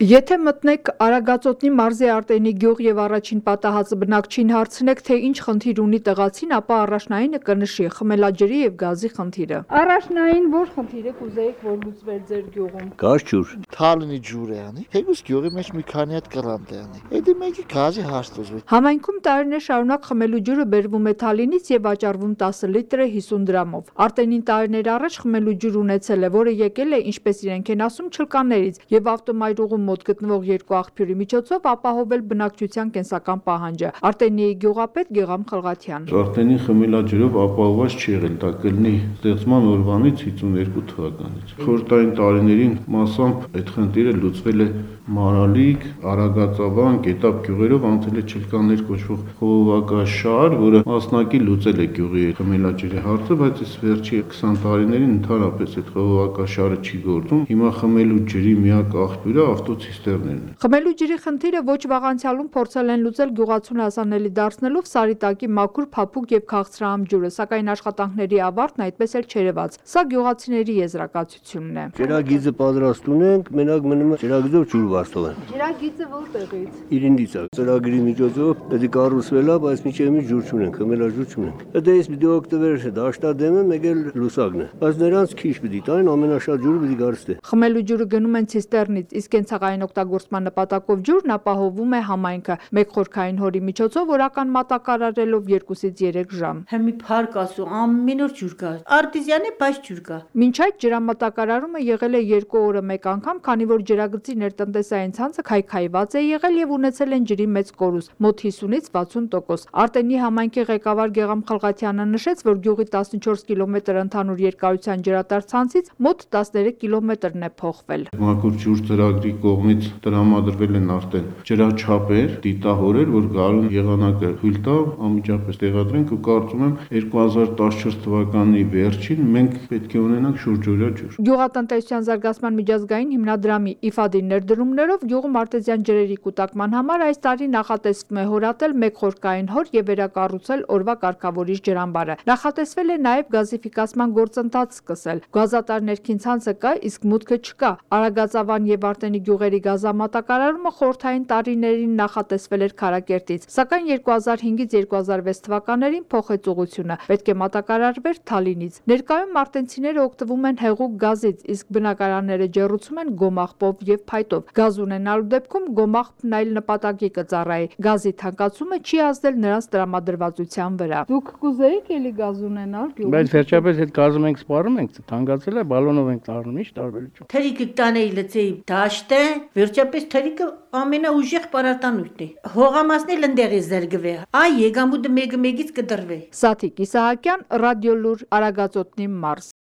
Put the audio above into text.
Եթե մտնեք Արագածոտնի մարզի Արտենի գյուղ եւ առաջին պատահածը բնակչին հարցնեք, թե ինչ խնդիր ունի տեղացին, ապա առաջնայինը կնշի խմելաջրի եւ գազի խնդիրը։ Առաջնային որ խնդիրը կուզեիք, որ լուծվեր ձեր գյուղում։ Գազ ջուր։ Թալինի ջուր է անի, հեգուս գյուղի մեջ մի քանի հատ կռանտ է անի։ Էդի մեկի գազի հաշտոզվի։ Համայնքում տարիներ շարունակ խմելու ջուրը բերվում է Թալինից եւ վաճառվում 10 լիտրը 50 դրամով։ Արտենին տարիներ առաջ խմելու ջուր ունեցել է, որը եկել է, ինչպես իրենք են ասում, չլկաներից եւ ավտոմայրուղում մոտ գտնվող երկու աղբյուրի միջոցով ապահովել բնակչության կենսական պահանջը։ Արտենիի գյուղապետ Գեգամ Խլղաթյան։ Արտենի խմելաջրով ապահովված չի եղել, դա կլինի ստեղծման օրվանից 52 թվականից։ Խորհրդային տարիներին մասամբ այդ խնդիրը լուծվել է Մարալիկ, Արագածավան, Գետապ գյուղերով անցել է չլկաներ կոչվող խողովակաշար, որը մասնակի լուծել է գյուղի խմելաջրի հարցը, բայց այս վերջի 20 տարիներին ընդհանրապես այդ խողովակաշարը չի գործում։ Հիմա խմելու ջրի միակ աղբյուրը ավտոցիստերներն են։ Խմելու ջրի խնդիրը ոչ վաղ անցյալում փորձել են լուծել գյուղացուն հասանելի դարձնելով Սարիտակի մաքուր, փափուկ եւ քաղցրահամ ջուրը, սակայն աշխատանքների ավարտն այդպես էլ չերևաց։ Սա գյուղացիների եզրակացությունն է։ Ջրագիծը պատրաստում ենք, մենակ մնում է ջրագիծով ջուր վաստով են։ Ջրագիծը որտեղից։ Իրինդից է։ Ծրագրի միջոցով դա կառուցվել է, բայց միջև մի ջուր չունենք, խմելաջուր չունենք։ Դա էս պիտի օգտվեր դաշտադեմը, մեկ էլ լուսակն է։ Բայց նրանց քիչ պիտի տային, ամենաշատ ջուրը պիտի գարստե։ Խմելու ջուրը գնում են ցիստերնից, իսկ կենցաղային օգտագործման նպատակով ջուրն ապահովում է համայնքը մեկ խորքային հորի միջոցով օրական մատակարարելով 2-ից 3 ժամ։ Հիմի փառք ասու, ամեն օր ջուր կա։ Արտիզյան է, բայց ջուր կա։ Մինչ այդ ջրամատակարարումը եղել է 2 օրը մեկ անգամ, քանի որ ջրագծի ներտնտեսային ցանցը քայքայված է եղել եւ ունեցել են ջրի մեծ կորուստ, մոտ 50-ից 60%։ Արտենի համայնքի ղեկավար Գեգամ Խլղաթյանը նշեց, որ գյուղի 14 կիլոմետր ընդհանուր երկարության ջրատար ցանցից մոտ 13 կիլոմետրն է փոխվել։ Մաքուր ջուր ծրագրի կողմից տրամադրվել են արդեն ջրաչափեր, դիտահորեր, որ գարուն եղանակը թույլ տա անմիջապես տեղադրենք ու կարծում եմ 2014 թվականի վերջին մենք պետք է ունենանք շուրջօրյա ջուր։ Գյուղատնտեսության զարգացման միջազգային հիմնադրամի IFAD-ի ներդրումներով գյուղում արտեզյան ջրերի կուտակման համար այս տարի նախատեսվում է հորատել մեկ խորքային հոր եւ վերակառուցել օրվա կարգավորիչ ջրամբարը։ Նախատեսվել է նաեւ գազիֆիկացման գործընթաց սկսել։ Գազատար ներքին ցանցը կա, իսկ մուտքը չկա։ Արագածավան եւ Արտենի գյուղերի գազամատակարարումը խորհրդային տարիներին նախատեսվել էր Քարակերտից, սակայն 2005-ից 2006 թվականներին փոխեց ուղղությունը։ Պետք է մատակարարվեր Թալինից։ Ներկայում արտենցիները օգտվում են հեղուկ գազից, իսկ բնակարանները ջեռուցում են գոմաղբով եւ փայտով։ Գազ ունենալու դեպքում գոմաղբն այլ նպատակի կծառայի։ Գազի թանկացումը չի ազդել նրանց տրամադրվածության վրա։ Դուք կուզեիք էլի գազ ունենալ գյուղում։ Բայց վերջապես այդ գազը մենք սպառում ենք, թանկացել է, բալոնով ենք տառնում, ի՞նչ տարբերություն։ Թրիկը տանեի լցեի դաշտը, վերջապես թրիկը ամենաուժեղ պարարտանյութն է։ Հողամասն էլ ընդեղ է զրկվե։ Այ եկամուտը մեկը մեկից կդրվե։ Սաթիկ Իսահակյան, Ռադիոլուր, Արագածոտնի մարզ։